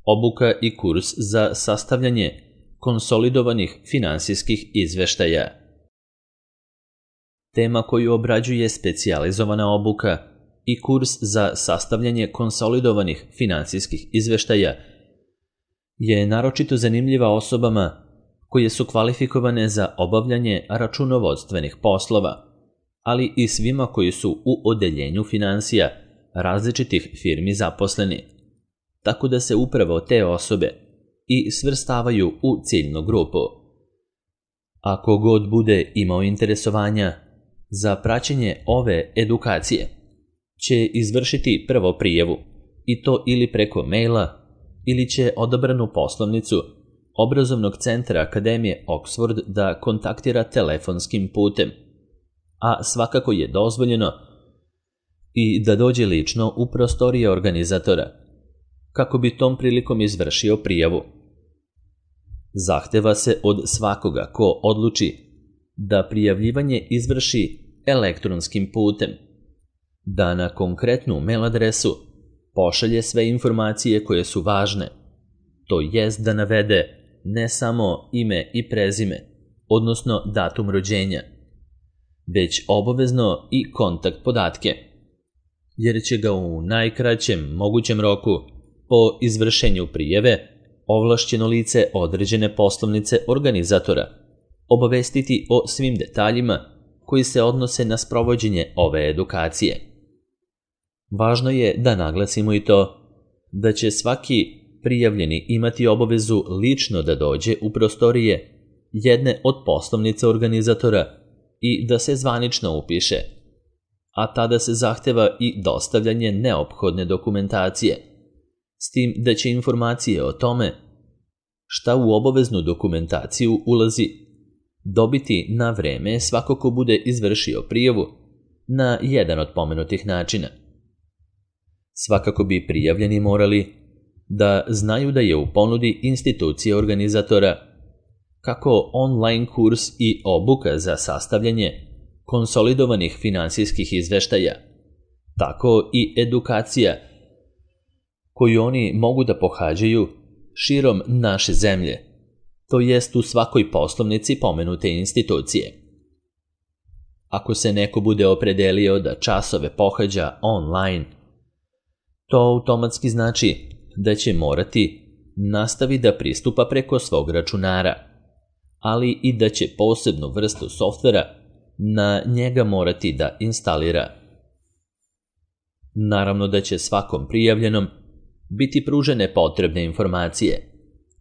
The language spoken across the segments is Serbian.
obuka i kurs za sastavljanje konsolidovanih finansijskih izveštaja. Tema koju obrađuje specijalizovana obuka i kurs za sastavljanje konsolidovanih finansijskih izveštaja je naročito zanimljiva osobama koje su kvalifikovane za obavljanje računovodstvenih poslova, ali i svima koji su u odeljenju finansija različitih firmi zaposleni, tako da se upravo te osobe i svrstavaju u ciljnu grupu. Ako god bude imao interesovanja za praćenje ove edukacije, će izvršiti prvo prijavu, i to ili preko maila, ili će odabranu poslovnicu Obrazovnog centra Akademije Oxford da kontaktira telefonskim putem, a svakako je dozvoljeno i da dođe lično u prostorije organizatora, kako bi tom prilikom izvršio prijavu. Zahteva se od svakoga ko odluči da prijavljivanje izvrši elektronskim putem, da na konkretnu mail adresu pošalje sve informacije koje su važne, to jest da navede ne samo ime i prezime, odnosno datum rođenja, već obavezno i kontakt podatke, jer će ga u najkraćem mogućem roku po izvršenju prijave ovlašćeno lice određene poslovnice organizatora obavestiti o svim detaljima koji se odnose na sprovođenje ove edukacije. Važno je da naglasimo i to da će svaki prijavljeni imati obavezu lično da dođe u prostorije jedne od poslovnica organizatora i da se zvanično upiše, a tada se zahteva i dostavljanje neophodne dokumentacije, s tim da će informacije o tome šta u obaveznu dokumentaciju ulazi dobiti na vreme svako ko bude izvršio prijavu na jedan od pomenutih načina. Svakako bi prijavljeni morali da znaju da je u ponudi institucije organizatora kako online kurs i obuka za sastavljanje konsolidovanih finansijskih izveštaja, tako i edukacija koju oni mogu da pohađaju širom naše zemlje, to jest u svakoj poslovnici pomenute institucije. Ako se neko bude opredelio da časove pohađa online, to automatski znači da će morati nastavi da pristupa preko svog računara, ali i da će posebnu vrstu softvera na njega morati da instalira. Naravno da će svakom prijavljenom biti pružene potrebne informacije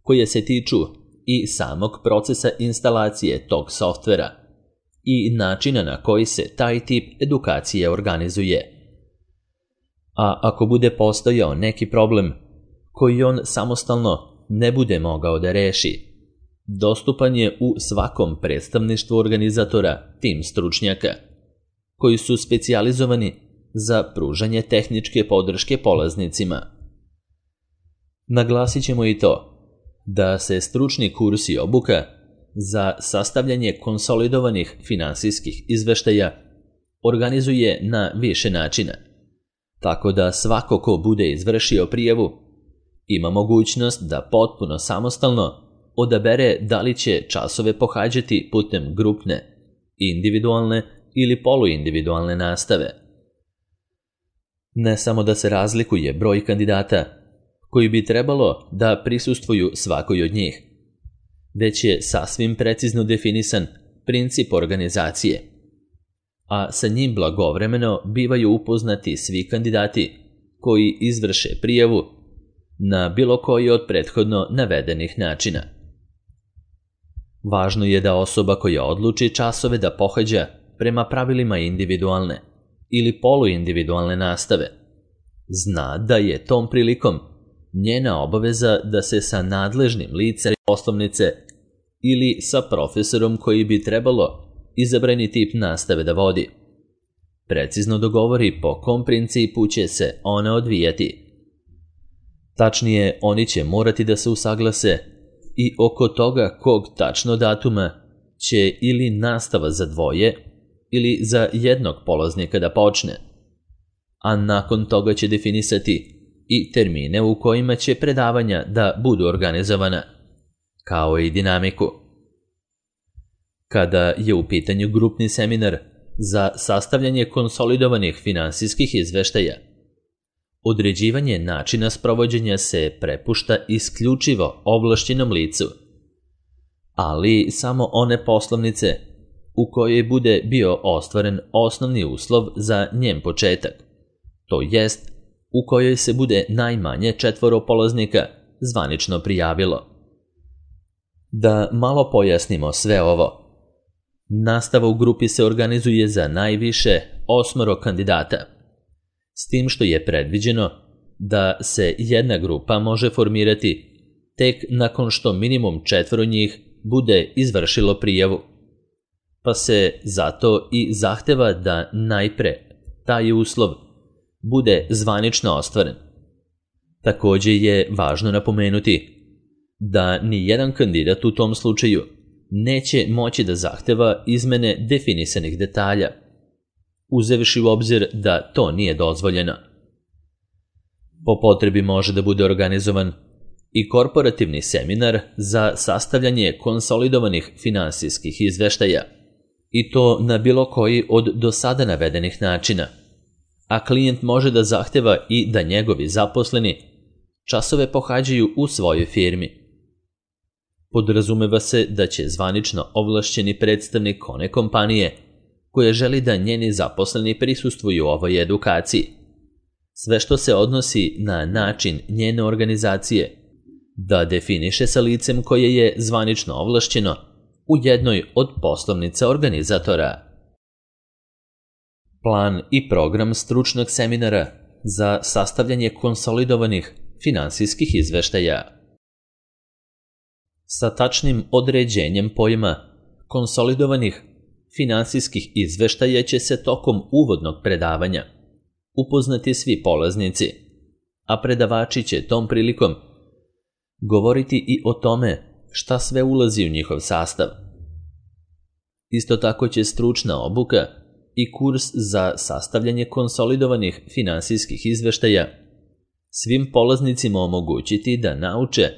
koje se tiču i samog procesa instalacije tog softvera i načina na koji se taj tip edukacije organizuje. A ako bude postojao neki problem koji on samostalno ne bude mogao da reši, dostupan je u svakom predstavništvu organizatora tim stručnjaka, koji su specijalizovani za pružanje tehničke podrške polaznicima. Naglasit ćemo i to da se stručni kurs i obuka za sastavljanje konsolidovanih finansijskih izveštaja organizuje na više načina, tako da svako ko bude izvršio prijavu ima mogućnost da potpuno samostalno odabere da li će časove pohađati putem grupne, individualne ili poluindividualne nastave. Ne samo da se razlikuje broj kandidata koji bi trebalo da prisustvuju svakoj od njih, već je sasvim precizno definisan princip organizacije, a sa njim blagovremeno bivaju upoznati svi kandidati koji izvrše prijavu na bilo koji od prethodno navedenih načina. Važno je da osoba koja odluči časove da pohađa prema pravilima individualne ili poluindividualne nastave zna da je tom prilikom njena obaveza da se sa nadležnim licem poslovnice ili sa profesorom koji bi trebalo izabrani tip nastave da vodi precizno dogovori po kom principu će se ona odvijati. Tačnije, oni će morati da se usaglase i oko toga kog tačno datuma će ili nastava za dvoje ili za jednog polaznika da počne, a nakon toga će definisati i termine u kojima će predavanja da budu organizovana, kao i dinamiku. Kada je u pitanju grupni seminar za sastavljanje konsolidovanih finansijskih izveštaja, određivanje načina sprovođenja se prepušta isključivo ovlašćenom licu, ali samo one poslovnice u kojoj bude bio ostvaren osnovni uslov za njen početak, to jest u kojoj se bude najmanje 4 polaznika zvanično prijavilo. Da malo pojasnimo sve ovo. Nastava u grupi se organizuje za najviše 8 kandidata, s tim što je predviđeno da se jedna grupa može formirati tek nakon što minimum 4 njih bude izvršilo prijavu, pa se zato i zahteva da najpre taj uslov bude zvanično ostvaren. Također je važno napomenuti da ni jedan kandidat u tom slučaju neće moći da zahteva izmene definisanih detalja, uzevši u obzir da to nije dozvoljeno. Po potrebi može da bude organizovan i korporativni seminar za sastavljanje konsolidovanih finansijskih izveštaja, i to na bilo koji od do sada navedenih načina, a klijent može da zahteva i da njegovi zaposleni časove pohađaju u svojoj firmi. Podrazumeva se da će zvanično ovlašćeni predstavnik one kompanije koja želi da njeni zaposleni prisustvuju ovoj edukaciji, sve što se odnosi na način njene organizacije, da definiše sa licem koje je zvanično ovlašćeno u jednoj od poslovnica organizatora. Plan i program stručnog seminara za sastavljanje konsolidovanih finansijskih izveštaja. Sa tačnim određenjem pojma konsolidovanih finansijskih izveštaja će se tokom uvodnog predavanja upoznati svi polaznici, a predavači će tom prilikom govoriti i o tome šta sve ulazi u njihov sastav. Isto tako će stručna obuka i kurs za sastavljanje konsolidovanih finansijskih izveštaja svim polaznicima omogućiti da nauče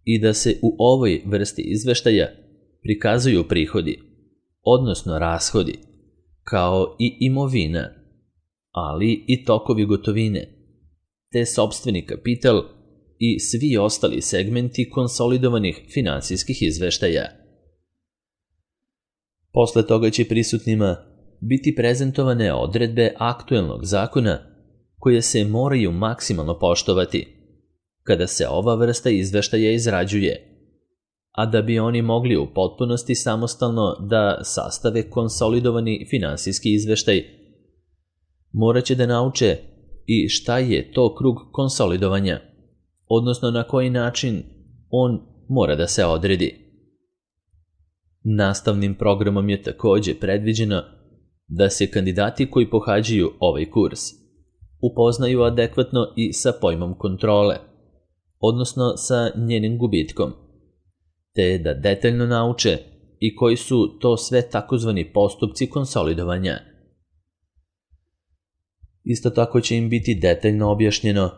i da se u ovoj vrsti izveštaja prikazuju prihodi, odnosno rashodi, kao i imovina, ali i tokovi gotovine, te sopstveni kapital i svi ostali segmenti konsolidovanih finansijskih izveštaja. Posle toga će prisutnima biti prezentovane odredbe aktuelnog zakona koje se moraju maksimalno poštovati kada se ova vrsta izveštaja izrađuje, a da bi oni mogli u potpunosti samostalno da sastave konsolidovani finansijski izveštaj, morat će da nauče i šta je to krug konsolidovanja, odnosno na koji način on mora da se odredi. Nastavnim programom je također predviđeno da se kandidati koji pohađaju ovaj kurs upoznaju adekvatno i sa pojmom kontrole, odnosno sa njenim gubitkom, te da detaljno nauče i koji su to sve takozvani postupci konsolidovanja. Isto tako će im biti detaljno objašnjeno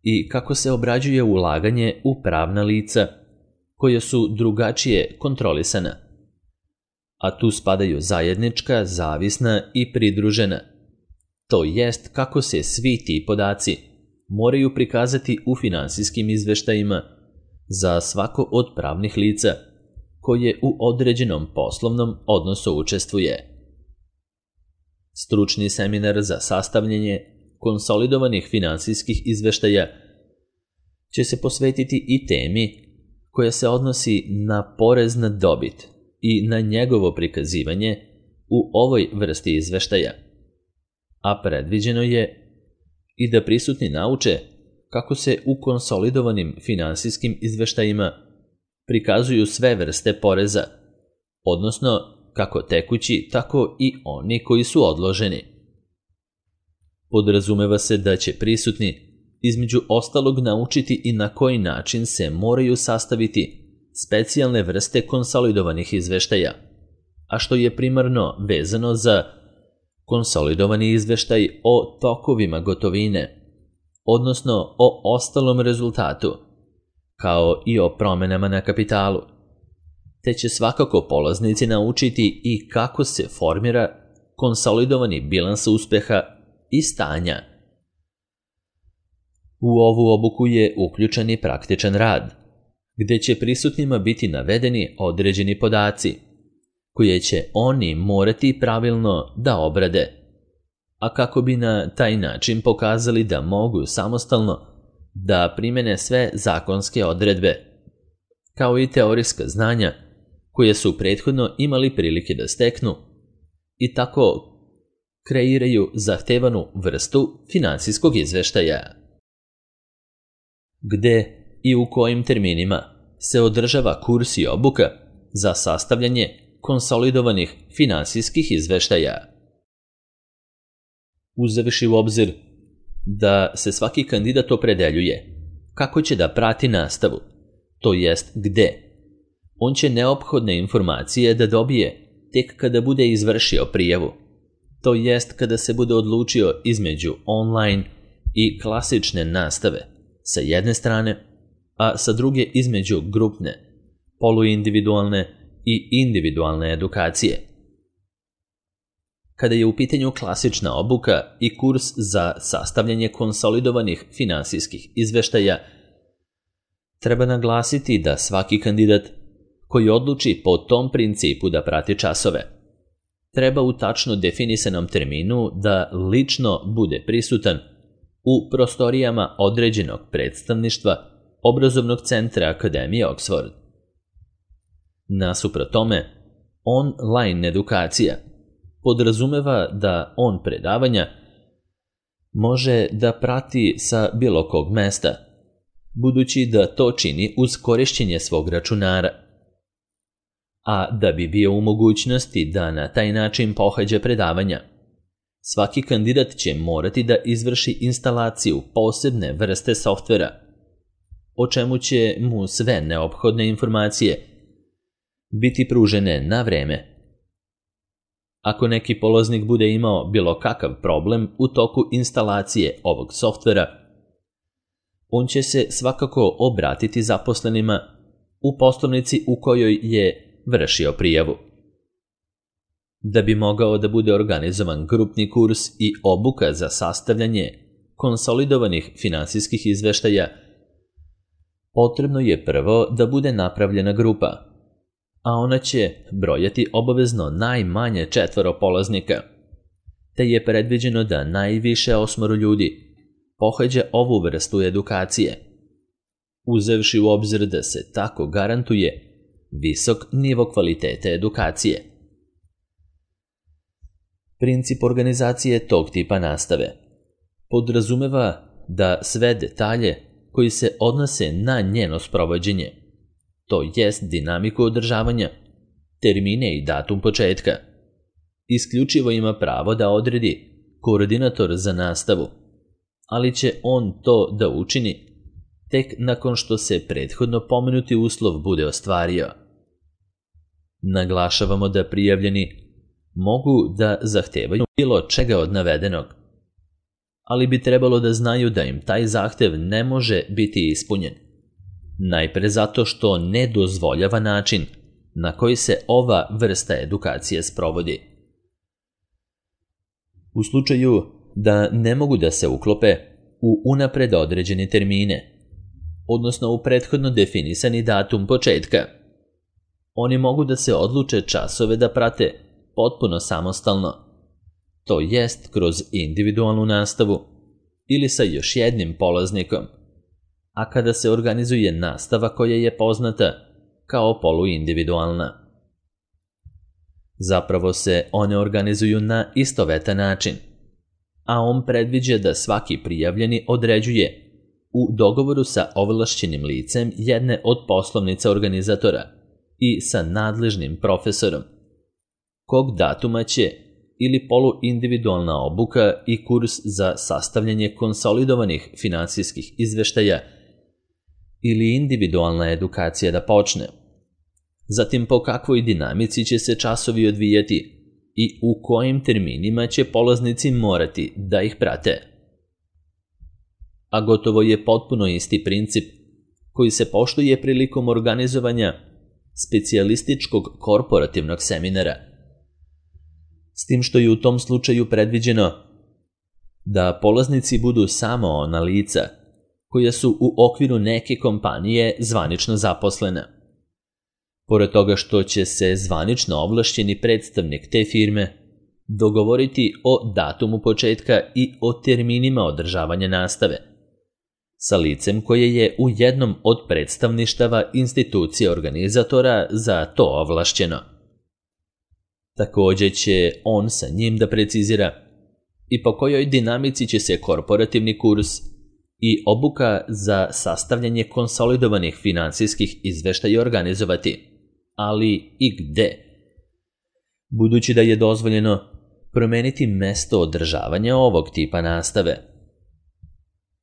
i kako se obrađuje ulaganje u pravna lica koja su drugačije kontrolisana, a tu spadaju zajednička, zavisna i pridružena, to jest kako se svi ti podaci moraju prikazati u finansijskim izveštajima za svako od pravnih lica koje u određenom poslovnom odnosu učestvuje. Stručni seminar za sastavljanje konsolidovanih finansijskih izveštaja će se posvetiti i temi koja se odnosi na porez na dobit i na njegovo prikazivanje u ovoj vrsti izveštaja, a predviđeno je i da prisutni nauče kako se u konsolidovanim finansijskim izveštajima prikazuju sve vrste poreza, odnosno kako tekući, tako i oni koji su odloženi. Podrazumeva se da će prisutni između ostalog naučiti i na koji način se moraju sastaviti specijalne vrste konsolidovanih izveštaja, a što je primarno vezano za konsolidovani izveštaj o tokovima gotovine, odnosno o ostalom rezultatu, kao i o promjenama na kapitalu, te će svakako polaznici naučiti i kako se formira konsolidovani bilans uspeha i stanja. U ovu obuku je uključen i praktičan rad, gdje će prisutnima biti navedeni određeni podaci, koje će oni morati pravilno da obrade, a kako bi na taj način pokazali da mogu samostalno da primene sve zakonske odredbe, kao i teorijska znanja koje su prethodno imali prilike da steknu i tako kreiraju zahtevanu vrstu finansijskog izveštaja. Gde i u kojim terminima se održava kurs i obuka za sastavljanje konsolidovanih finansijskih izveštaja? Uzevši u obzir da se svaki kandidat opredeljuje kako će da prati nastavu, to jest gde, on će neophodne informacije da dobije tek kada bude izvršio prijavu, to jest kada se bude odlučio između online i klasične nastave sa jedne strane, a sa druge između grupne, poluindividualne i individualne edukacije. Kada je u pitanju klasična obuka i kurs za sastavljanje konsolidovanih finansijskih izveštaja, treba naglasiti da svaki kandidat koji odluči po tom principu da prati časove, treba u tačno definisanom terminu da lično bude prisutan u prostorijama određenog predstavništva obrazovnog centra Akademije Oxford. Nasuprot tome, online edukacija podrazumeva da on predavanja može da prati sa bilo kog mesta, budući da to čini uz korišćenje svog računara. A da bi bio u mogućnosti da na taj način pohađa predavanja, svaki kandidat će morati da izvrši instalaciju posebne vrste softvera, o čemu će mu sve neophodne informacije biti pružene na vreme. Ako neki polaznik bude imao bilo kakav problem u toku instalacije ovog softvera, on će se svakako obratiti zaposlenima u poslovnici u kojoj je vršio prijavu. Da bi mogao da bude organizovan grupni kurs i obuka za sastavljanje konsolidovanih finansijskih izveštaja, potrebno je prvo da bude napravljena grupa, a ona će brojati obavezno najmanje 4 polaznika, te je predviđeno da najviše 8 ljudi pohađa ovu vrstu edukacije, uzevši u obzir da se tako garantuje visok nivo kvalitete edukacije. Princip organizacije tog tipa nastave podrazumeva da sve detalje koji se odnose na njeno sprovođenje, to jest dinamiku održavanja, termine i datum početka, isključivo ima pravo da odredi koordinator za nastavu, ali će on to da učini tek nakon što se prethodno pomenuti uslov bude ostvario. Naglašavamo da prijavljeni mogu da zahtevaju bilo čega od navedenog, ali bi trebalo da znaju da im taj zahtev ne može biti ispunjen. Najpre zato što ne dozvoljava način na koji se ova vrsta edukacije sprovodi. U slučaju da ne mogu da se uklope u unapred određene termine, odnosno u prethodno definisani datum početka, oni mogu da se odluče časove da prate potpuno samostalno, to jest kroz individualnu nastavu ili sa još jednim polaznikom, a kada se organizuje nastava koja je poznata kao poluindividualna. Zapravo se one organizuju na istovetan način, a on predviđa da svaki prijavljeni određuje u dogovoru sa ovlašćenim licem jedne od poslovnica organizatora i sa nadležnim profesorom, kog datuma će ili poluindividualna obuka i kurs za sastavljanje konsolidovanih finansijskih izveštaja ili individualna edukacija da počne. Zatim po kakvoj dinamici će se časovi odvijati i u kojim terminima će polaznici morati da ih prate. a gotovo je potpuno isti princip koji se poštuje prilikom organizovanja specijalističkog korporativnog seminara. S tim što je u tom slučaju predviđeno da polaznici budu samo ona lica koja su u okviru neke kompanije zvanično zaposlena. Pored toga što će se zvanično ovlašćeni predstavnik te firme dogovoriti o datumu početka i o terminima održavanja nastave sa licem koje je u jednom od predstavništava institucije organizatora za to ovlašćeno. Također će on sa njim da precizira i po kojoj dinamici će se korporativni kurs i obuka za sastavljanje konsolidovanih finansijskih izveštaja organizovati, ali i gde. Budući da je dozvoljeno promeniti mesto održavanja ovog tipa nastave.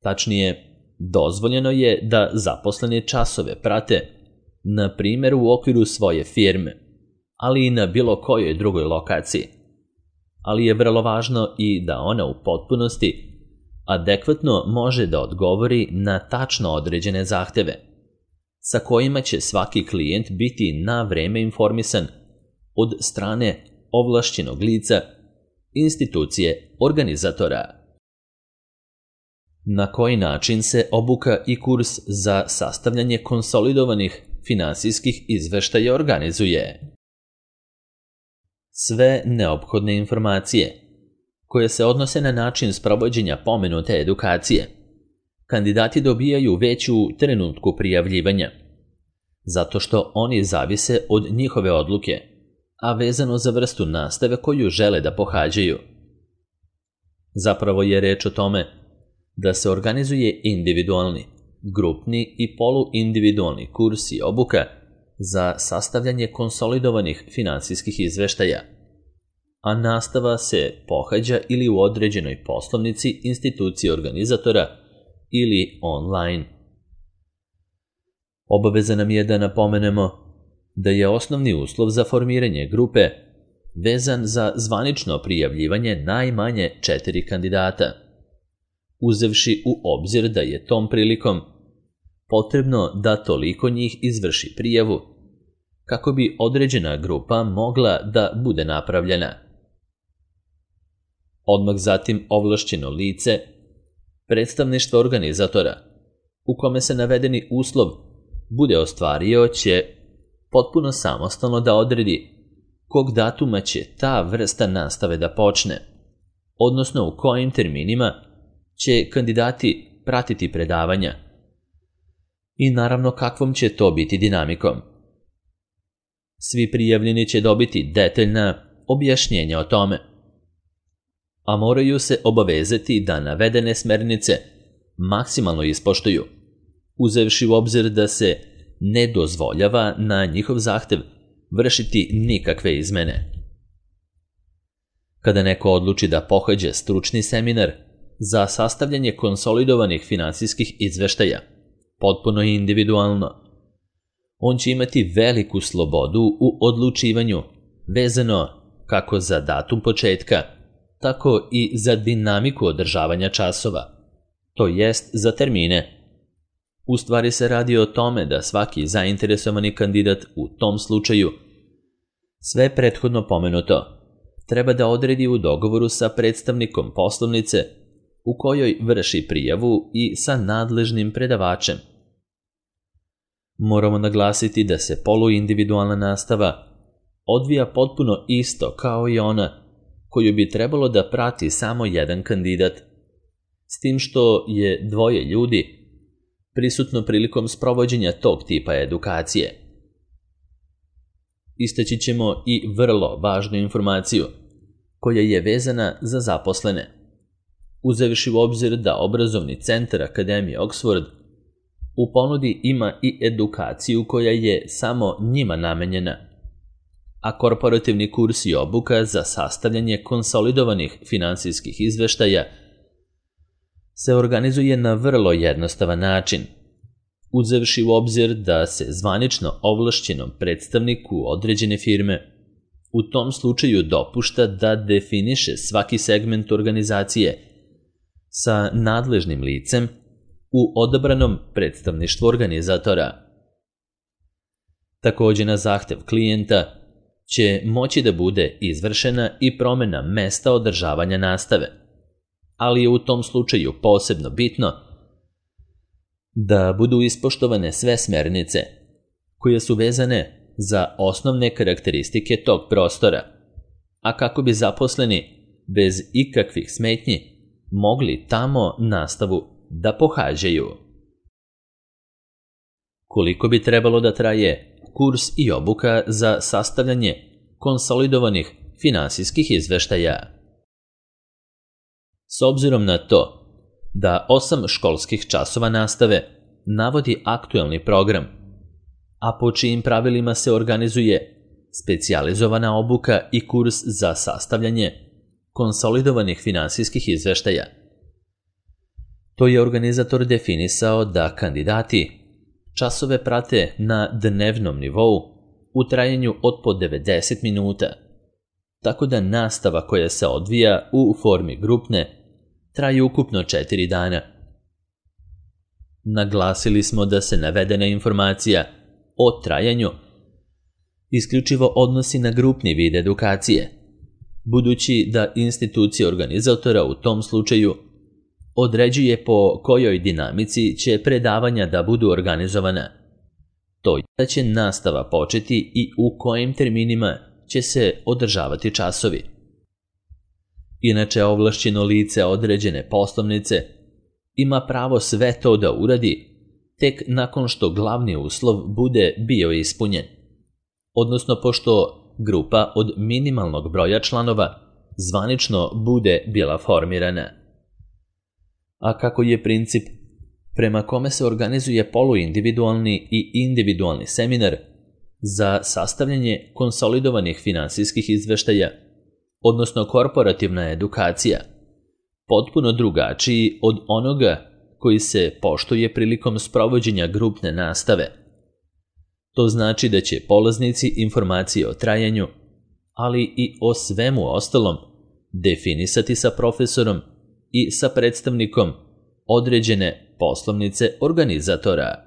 Tačnije, dozvoljeno je da zaposlene časove prate, na primjer u okviru svoje firme, ali i na bilo kojoj drugoj lokaciji. Ali je vrlo važno i da ona u potpunosti adekvatno može da odgovori na tačno određene zahteve, sa kojima će svaki klijent biti na vreme informisan od strane ovlašćenog lica, institucije, organizatora. Na koji način se obuka i kurs za sastavljanje konsolidovanih finansijskih izveštaja organizuje? Sve neophodne informacije koje se odnose na način sprovođenja pomenute edukacije kandidati dobijaju već u trenutku prijavljivanja, zato što oni zavise od njihove odluke, a vezano za vrstu nastave koju žele da pohađaju. Zapravo je reč o tome da se organizuje individualni, grupni i poluindividualni kurs i obuka za sastavljanje konsolidovanih finansijskih izveštaja, a nastava se pohađa ili u određenoj poslovnici institucije organizatora ili online. Obaveza nam je da napomenemo da je osnovni uslov za formiranje grupe vezan za zvanično prijavljivanje najmanje 4 kandidata, uzevši u obzir da je tom prilikom potrebno da toliko njih izvrši prijavu kako bi određena grupa mogla da bude napravljena. Odmah zatim ovlašćeno lice, predstavništvo organizatora, u kome se navedeni uslov bude ostvario, će potpuno samostalno da odredi kog datuma će ta vrsta nastave da počne, odnosno u kojim terminima će kandidati pratiti predavanja i naravno kakvom će to biti dinamikom. Svi prijavljeni će dobiti detaljna objašnjenja o tome, a moraju se obavezati da navedene smernice maksimalno ispoštuju, uzevši u obzir da se ne dozvoljava na njihov zahtev vršiti nikakve izmene. Kada neko odluči da pohađa stručni seminar za sastavljanje konsolidovanih finansijskih izveštaja, potpuno individualno, on će imati veliku slobodu u odlučivanju vezano kako za datum početka, tako i za dinamiku održavanja časova, to jest za termine. U stvari se radi o tome da svaki zainteresovani kandidat u tom slučaju sve prethodno pomenuto treba da odredi u dogovoru sa predstavnikom poslovnice u kojoj vrši prijavu i sa nadležnim predavačem. Moramo naglasiti da se poluindividualna nastava odvija potpuno isto kao i ona koju bi trebalo da prati samo jedan kandidat, s tim što je 2 ljudi prisutno prilikom sprovođenja tog tipa edukacije. Istaći ćemo i vrlo važnu informaciju koja je vezana za zaposlene, uzevši u obzir da obrazovni centar Akademije Oxford u ponudi ima i edukaciju koja je samo njima namenjena, a korporativni kurs i obuka za sastavljanje konsolidovanih finansijskih izveštaja se organizuje na vrlo jednostavan način, uzevši u obzir da se zvanično ovlašćenom predstavniku određene firme u tom slučaju dopušta da definiše svaki segment organizacije sa nadležnim licem u odabranom predstavništvu organizatora. Također na zahtev klijenta će moći da bude izvršena i promjena mesta održavanja nastave, ali je u tom slučaju posebno bitno da budu ispoštovane sve smernice koje su vezane za osnovne karakteristike tog prostora, a kako bi zaposleni bez ikakvih smetnji mogli tamo nastavu da pohađaju. Koliko bi trebalo da traje kurs i obuka za sastavljanje konsolidovanih finansijskih izveštaja? S obzirom na to da 8 školskih časova nastave navodi aktuelni program, a po čijim pravilima se organizuje specijalizovana obuka i kurs za sastavljanje konsolidovanih finansijskih izveštaja, to je organizator definisao da kandidati časove prate na dnevnom nivou u trajanju od po 90 minuta, tako da nastava koja se odvija u formi grupne traje ukupno 4 dana. Naglasili smo da se navedena informacija o trajanju isključivo odnosi na grupni vid edukacije, budući da institucija organizatora u tom slučaju određuje po kojoj dinamici će predavanja da budu organizovana. To je da će nastava početi i u kojim terminima će se održavati časovi. Inače, ovlašćeno lice određene poslovnice ima pravo sve to da uradi tek nakon što glavni uslov bude bio ispunjen, odnosno pošto grupa od minimalnog broja članova zvanično bude bila formirana. A kako je princip prema kome se organizuje poluindividualni i individualni seminar za sastavljanje konsolidovanih finansijskih izveštaja, odnosno korporativna edukacija, potpuno drugačiji od onoga koji se poštuje prilikom sprovođenja grupne nastave. To znači da će polaznici informacije o trajanju, ali i o svemu ostalom, definisati sa profesorom i sa predstavnikom određene poslovnice organizatora.